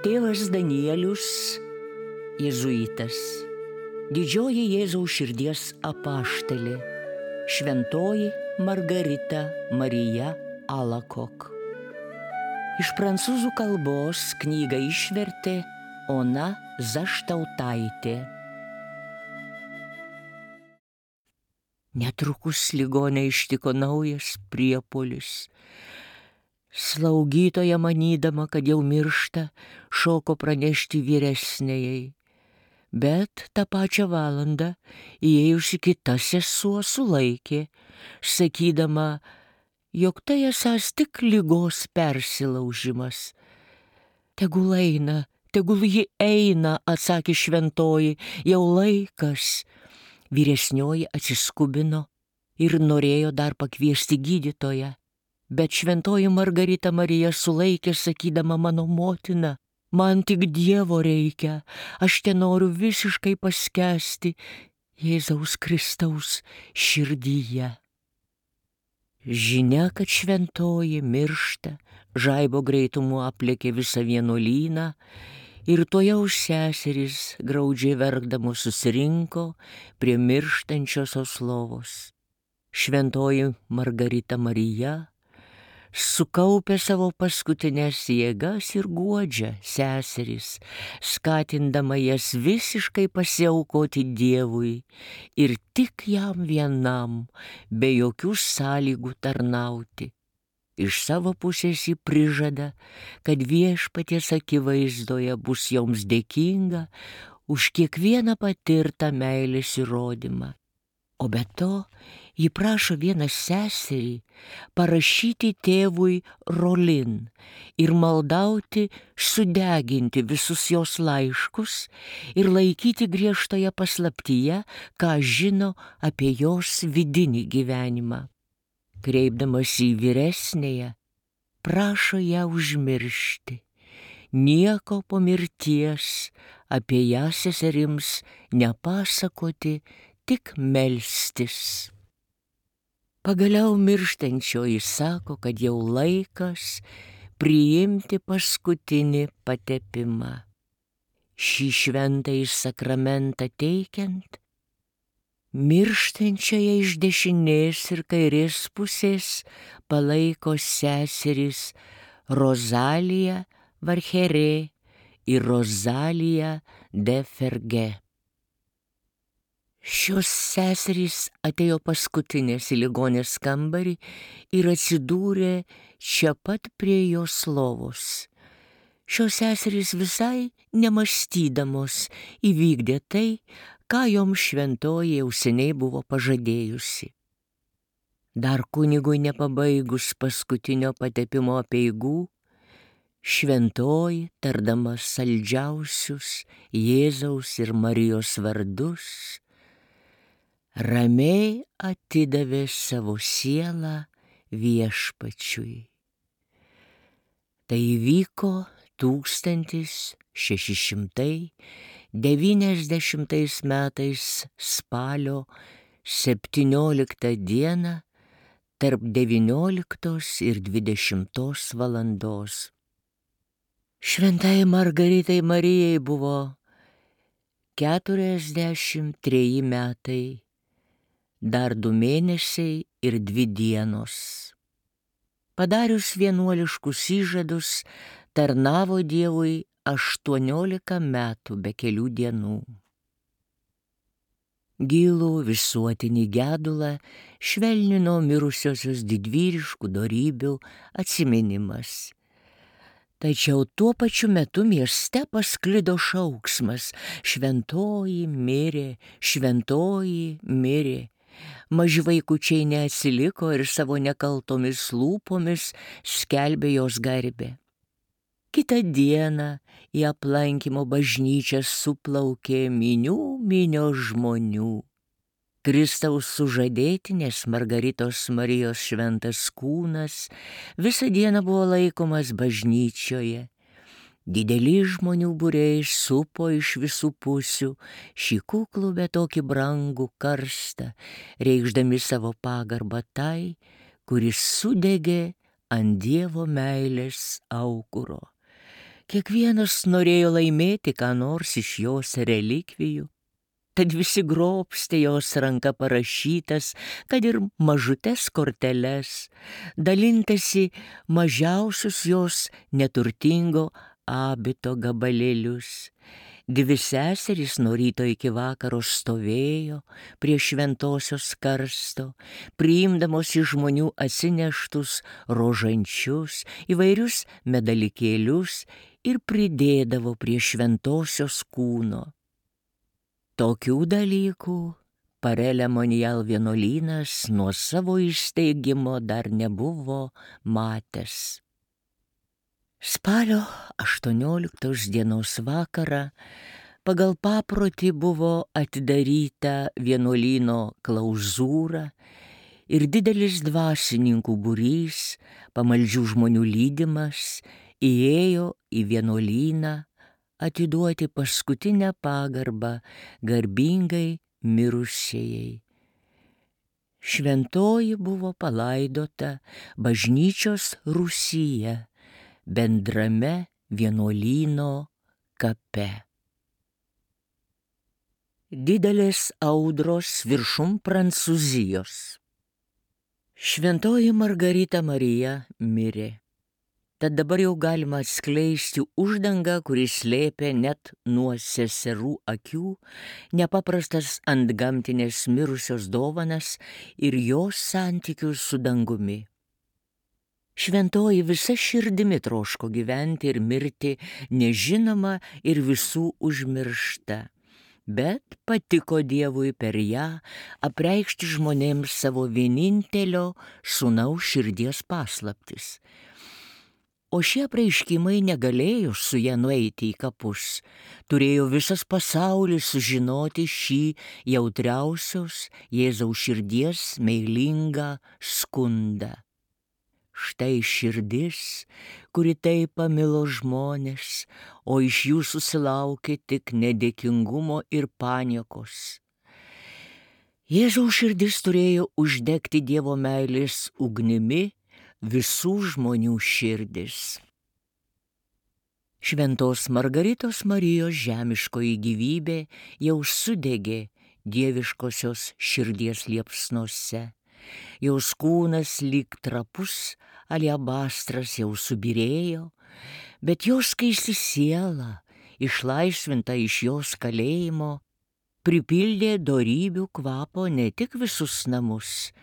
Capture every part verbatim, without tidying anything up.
Tėvas Danielius, jėzuitas, didžioji Jėzaus širdies apaštalė, šventoji Margarita Marija Alacoque. Iš prancūzų kalbos knygą išvertė Ona Zaštautaitė. Netrukus ligonę ištiko naujas priepuolis. Slaugytoja, manydama, kad jau miršta, šoko pranešti vyresnėjai. Bet tą pačią valandą įėjusi kita sesuo sulaikė, sakydama, jog tai esąs tik ligos persilaužimas. Tegul eina, tegul ji eina, atsakė šventoji, jau laikas. Vyresnioji atsiskubino ir norėjo dar pakviesti gydytoją. Bet šventoji Margarita Marija sulaikė, sakydama, mano motina, man tik Dievo reikia, aš te noriu visiškai paskęsti Jėzaus Kristaus širdyje. Žinia, kad šventoji miršta, žaibo greitumu aplėkė visą vienuolyną ir tuojaus seserys, graudžiai verkdamos, susirinko prie mirštančiosios lovos. Šventoji Margarita Marija sukaupė savo paskutinės jėgas ir guodžia seserys, skatindama jas visiškai pasiaukoti Dievui ir tik jam vienam, be jokių sąlygų tarnauti. Iš savo pusės ji prižada, kad viešpaties akivaizdoje bus joms dėkinga už kiekvieną patirtą meilės įrodymą. O be to, ji prašo vieną seserį parašyti tėvui Rolin ir maldauti sudeginti visus jos laiškus ir laikyti griežtoje paslaptyje, ką žino apie jos vidinį gyvenimą. Kreipdamas į vyresnėje, prašo ją užmiršti, nieko po mirties apie ją seserims nepasakoti, tik melstis. Pagaliau mirštančioji sako, kad jau laikas priimti paskutinį patepimą. Šį šventąjį sakramentą teikiant, mirštančioje iš dešinės ir kairės pusės palaiko seserys Rozalija Varcherė ir Rozalija de Ferge. Šios seserys atėjo paskutinės į ligonės kambarį ir atsidūrė čia pat prie jos lovos. Šios seserys visai nemąstydamos įvykdė tai, ką joms šventoji jau seniai buvo pažadėjusi. Dar kunigui nepabaigus paskutinio patepimo apeigų, šventoji, tardama saldžiausius Jėzaus ir Marijos vardus, ramiai atidavė savo sielą viešpačiui. Tai įvyko tūkstantis šeši šimtai devyniasdešimtais metais spalio septynioliktą dieną tarp devynioliktos ir dvidešimtos valandos. Šventai Margaritai Marijai buvo keturiasdešimt treji metai, dar du mėnesiai ir dvi dienos. Padarius vienuoliškus įžadus, tarnavo Dievui aštuoniolika metų be kelių dienų. Gilų visuotinį gedulą švelnino mirusiosios didvyriškų dorybių atsiminimas. Tačiau tuo pačiu metu mieste pasklido šauksmas: šventoji mirė, šventoji mirė. Maži vaikučiai neatsiliko ir savo nekaltomis lūpomis skelbė jos garbę. Kitą dieną į aplankymo bažnyčią suplaukė minių minios žmonių. Kristaus sužadėtinės Margaritos Marijos šventas kūnas visą dieną buvo laikomas bažnyčioje. Dideli žmonių būriai supo iš visų pusių šį kuklų, bet tokį brangų karstą, reikšdami savo pagarbą tai, kuris sudegė ant Dievo meilės aukuro. Kiekvienas norėjo laimėti ką nors iš jos relikvijų, tad visi grobstė jos ranka parašytas, kad ir mažutes korteles, dalintasi mažiausius jos neturtingo abito gabalėlius. Dvi seserys nuo ryto iki vakaro stovėjo prie šventosios karsto, priimdamos iš žmonių atsineštus rožančius, įvairius medalikėlius ir pridėdavo prie šventosios kūno. Tokių dalykų Parelė Monijal vienuolynas nuo savo įsteigimo dar nebuvo matęs. Spalio aštuonioliktos dienos vakarą pagal paprotį buvo atidaryta vienuolyno klauzūra ir didelis dvasininkų būrys, pamaldžių žmonių lydimas, įėjo į vienuolyną atiduoti paskutinę pagarbą garbingai mirusiejai. Šventoji buvo palaidota bažnyčios rūsyje, bendrame vienuolyno kape. Didelės audros viršum Prancūzijos. Šventoji Margarita Marija mirė. Tad dabar jau galima atskleisti uždangą, kuris slėpė net nuo seserų akių nepaprastas antgamtinės mirusios dovanas ir jos santykius su dangumi. Šventoji visa širdimi troško gyventi ir mirti, nežinoma ir visų užmiršta, bet patiko Dievui per ją apreikšti žmonėms savo vienintelio sūnaus širdies paslaptis. O šie apreiškimai negalėjo su ja nueiti į kapus. Turėjo visas pasaulis sužinoti šį jautriausios Jėzaus širdies meilingą skundą. Štai širdis, kuri taip pamilo žmonės, o iš jų susilaukė tik nedėkingumo ir paniekos. Jėzaus širdis turėjo uždegti Dievo meilės ugnimi visų žmonių širdis. Šventos Margaritos Marijos žemiškoji gyvybė jau sudegė dieviškosios širdies liepsnose. Jos kūnas lyg trapus aliabastras jau subyrėjo, bet jos skaisti siela, išlaisvinta iš jos kalėjimo, pripildė dorybių kvapo ne tik visus namus,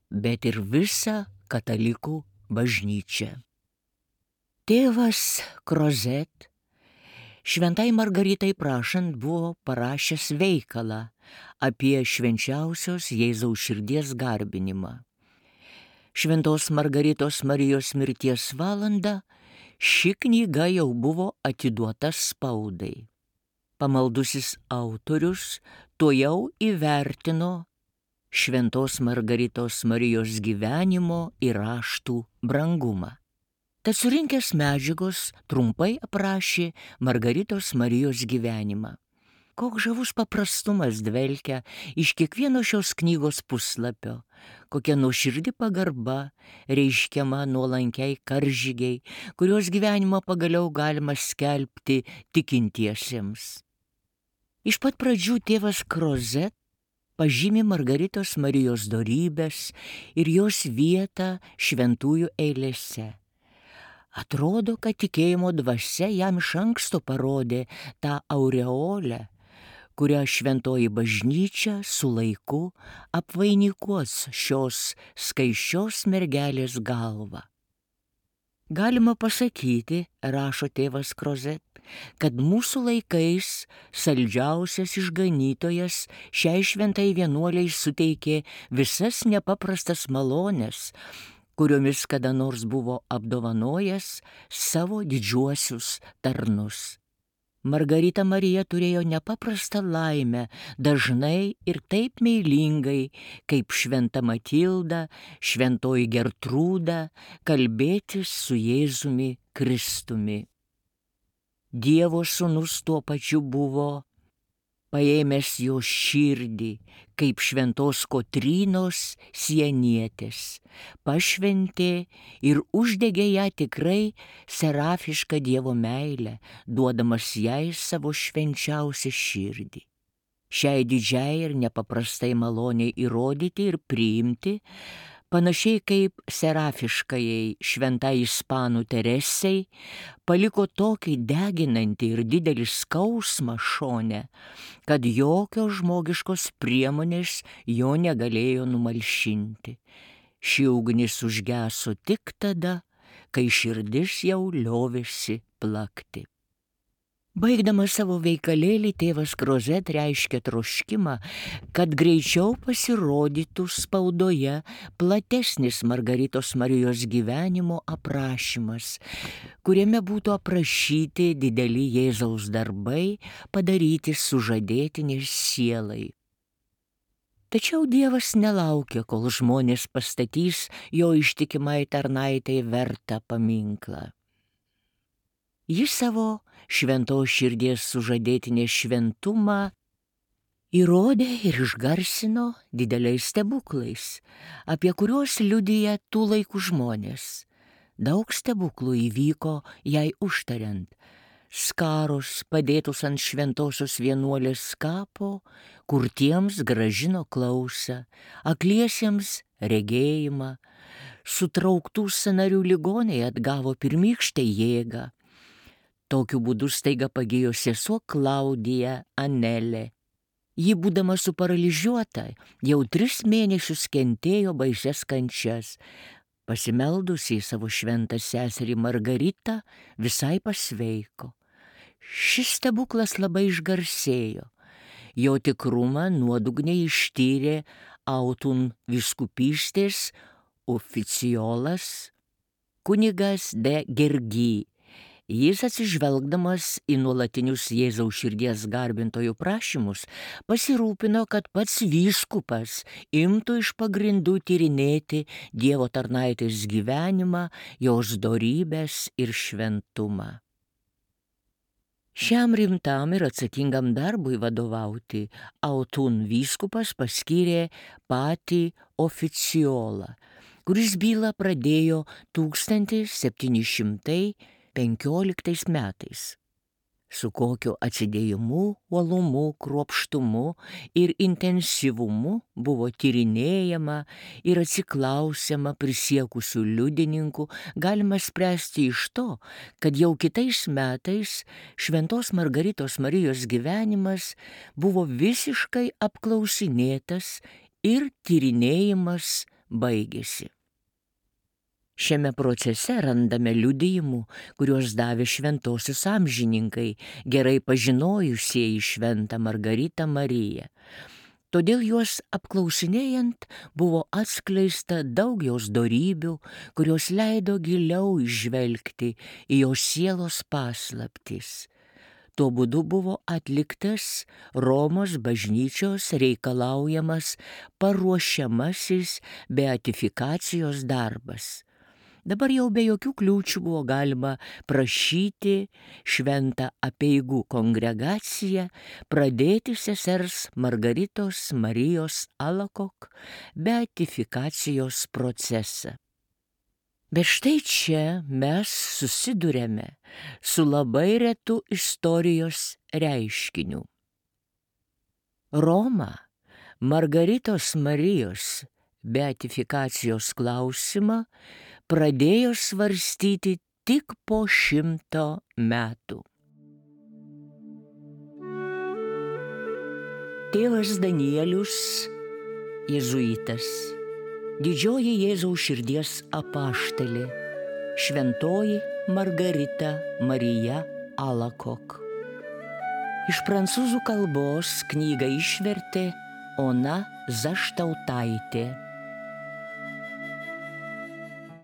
bet ir visą katalikų bažnyčią. Tėvas Crozet šventai Margaritai prašant buvo parašęs veikalą apie švenčiausios Jėzaus širdies garbinimą. Šventos Margaritos Marijos mirties valandą ši knyga jau buvo atiduota spaudai. Pamaldusis autorius tuojau įvertino Šventos Margaritos Marijos gyvenimo ir raštų brangumą. Tad surinkęs medžiagos trumpai aprašė Margaritos Marijos gyvenimą. Koks žavus paprastumas dvelkia iš kiekvieno šios knygos puslapio, kokia nuoširdi pagarba reiškiama nuolankiai karžygiai, kurios gyvenimą pagaliau galima skelbti tikintiesiems. Iš pat pradžių tėvas Crozet pažymi Margaritos Marijos dorybes ir jos vietą šventųjų eilėse. Atrodo, kad tikėjimo dvasia jam iš anksto parodė tą aureolę, kurią šventoji bažnyčia su laiku apvainikuos šios skaisčios mergelės galvą. Galima pasakyti, rašo tėvas Crozet, kad mūsų laikais saldžiausias išganytojas šiai šventai vienuoliai suteikė visas nepaprastas malones, kuriomis kada nors buvo apdovanojęs savo didžiuosius tarnus. Margarita Marija turėjo nepaprastą laimę dažnai ir taip meilingai, kaip šventa Matilda, šventoji Gertrūda, kalbėtis su Jėzumi Kristumi. Dievo sūnus tuo pačiu buvo paėmęs jo širdį, kaip šventos Kotrynos sienietės, pašventė ir uždegė ją tikrai serafišką Dievo meilę, duodamas jai savo švenčiausią širdį. Šiai didžiai ir nepaprastai maloniai įrodyti ir priimti, panašiai kaip serafiškajai šventai ispanų Teresei, paliko tokį deginantį ir didelį skausmą šone, kad jokios žmogiškos priemonės jo negalėjo numalšinti. Ši ugnis užgeso tik tada, kai širdis jau liovėsi plakti. Baigdamas savo veikalėlį, tėvas Krozet reiškia troškimą, kad greičiau pasirodytų spaudoje platesnis Margaritos Marijos gyvenimo aprašymas, kuriame būtų aprašyti dideli Jėzaus darbai padaryti sužadėtinės sielai. Tačiau Dievas nelaukia, kol žmonės pastatys jo ištikimai tarnaitai vertą paminklą. Jis savo šventos širdies sužadėtinės šventumą įrodė ir išgarsino dideliais stebuklais, apie kuriuos liudija tų laikų žmonės. Daug stebuklų įvyko jai užtariant. Skarus padėtus ant šventosios vienuolės kapo, kurtiems gražino klausą, akliesiems regėjimą, sutrauktų sąnarių ligoniai atgavo pirmykštę jėgą. Tokiu būdu staiga pagijo sesuo Klaudija Anelė. Ji, būdama suparalyžiuota, jau tris mėnesius kentėjo baisias kančias. Pasimeldusi į savo šventą seserį Margaritą, visai pasveiko. Šis stebuklas labai išgarsėjo. Jo tikrumą nuodugniai ištyrė Autun vyskupystės oficiolas kunigas de Gergy. Jis, atsižvelgdamas į nuolatinius Jėzaus širdies garbintojų prašymus, pasirūpino, kad pats vyskupas imtų iš pagrindų tyrinėti Dievo tarnaitės gyvenimą, jos dorybės ir šventumą. Šiam rimtam ir atsakingam darbui vadovauti Autun vyskupas paskyrė patį oficiolą, kuris bylą pradėjo tūkstantis septyni šimtai penkioliktais metais. Su kokiu atsidėjimu, uolumu, kruopštumu ir intensyvumu buvo tyrinėjama ir atsiklausiama prisiekusių liudininkų, galima spręsti iš to, kad jau kitais metais šventos Margaritos Marijos gyvenimas buvo visiškai apklausinėtas ir tyrinėjimas baigėsi. Šiame procese randame liudijimų, kuriuos davė šventosios amžininkai, gerai pažinojusieji šventą Margaritą Mariją. Todėl juos apklausinėjant buvo atskleista daug jos dorybių, kurios leido giliau įžvelgti į jos sielos paslaptis. Tuo būdu buvo atliktas Romos bažnyčios reikalaujamas paruošiamasis beatifikacijos darbas. Dabar jau be jokių kliūčių buvo galima prašyti šventą apeigų kongregaciją pradėti sesers Margaritos Marijos Alakok beatifikacijos procesą. Bet štai čia mes susidurėme su labai retu istorijos reiškiniu. Roma Margaritos Marijos beatifikacijos klausimą pradėjo svarstyti tik po šimto metų. Tėvas Danielius, jėzuitas, didžioji Jėzaus širdies apaštalė, šventoji Margarita Marija Alakok. Iš prancūzų kalbos knygą išvertė Ona Zaštautaitė.